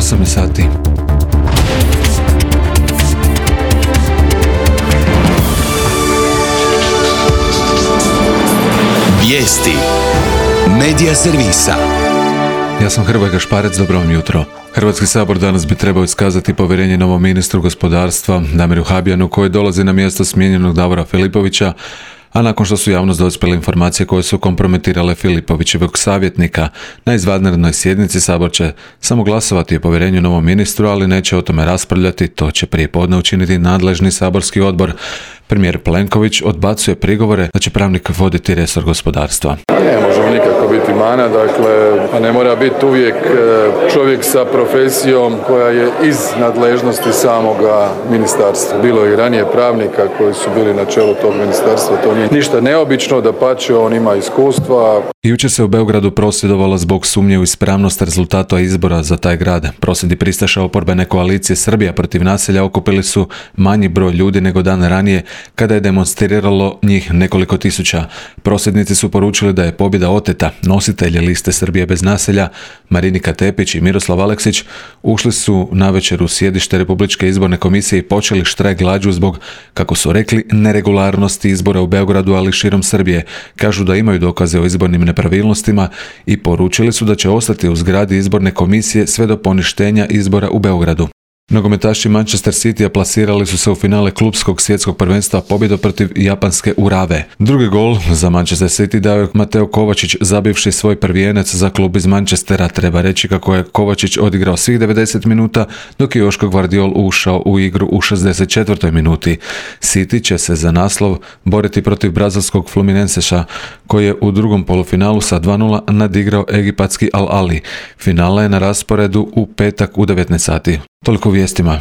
8 sati. Vijesti Medija servisa. Ja sam Hrvoje Gašparec, dobro vam jutro. Hrvatski sabor danas bi trebao iskazati povjerenje novom ministru gospodarstva Damiru Habijanu, koji dolazi na mjesto smijenjenog Davora Filipovića, a nakon što su javnost dospjele informacije koje su kompromitirale Filipovićevog savjetnika. Na izvanrednoj sjednici sabor će samo glasovati o povjerenju novom ministru, ali neće o tome raspravljati, to će prije podne učiniti nadležni saborski odbor. Premijer Plenković odbacuje prigovore da će pravnik voditi resor gospodarstva. Ne možemo nikako biti mana, dakle, ne mora biti uvijek čovjek sa profesijom koja je iz nadležnosti samoga ministarstva. Bilo je i ranije pravnika koji su bili na čelu tog ministarstva, to nije ništa neobično, dapače, on ima iskustva. Jučer se u Beogradu prosvjedovalo zbog sumnje u ispravnost rezultata izbora za taj grad. Prosvjedi pristaša oporbene koalicije Srbija protiv nasilja okupili su manji broj ljudi nego dan ranije, kada je demonstriralo njih nekoliko tisuća. Prosvjednici su poručili da je pobjeda oteta. Nositelji liste Srbije bez nasilja, Marinika Tepić i Miroslav Aleksić, ušli su navečer u sjedište Republičke izborne komisije i počeli štrajk glađu zbog, kako su rekli, neregularnosti izbora u Beogradu, ali širom Srbije. Kažu da imaju dokaze o izbornim nepravilnostima i poručili su da će ostati u zgradi izborne komisije sve do poništenja izbora u Beogradu. Nogometaši Manchester Citya plasirali su se u finale klupskog svjetskog prvenstva pobjedom protiv japanske Urave. Drugi gol za Manchester City dao je Mateo Kovačić, zabivši svoj prvijenac za klub iz Manchestera. Treba reći kako je Kovačić odigrao svih 90 minuta, dok je Joško Gvardiol ušao u igru u 64. minuti. City će se za naslov boriti protiv brazilskog Fluminenseša, koji je u drugom polufinalu sa 2:0 nadigrao egipatski Al Ahly. Finala je na rasporedu u petak u 19 sati. Toliko u vijestima.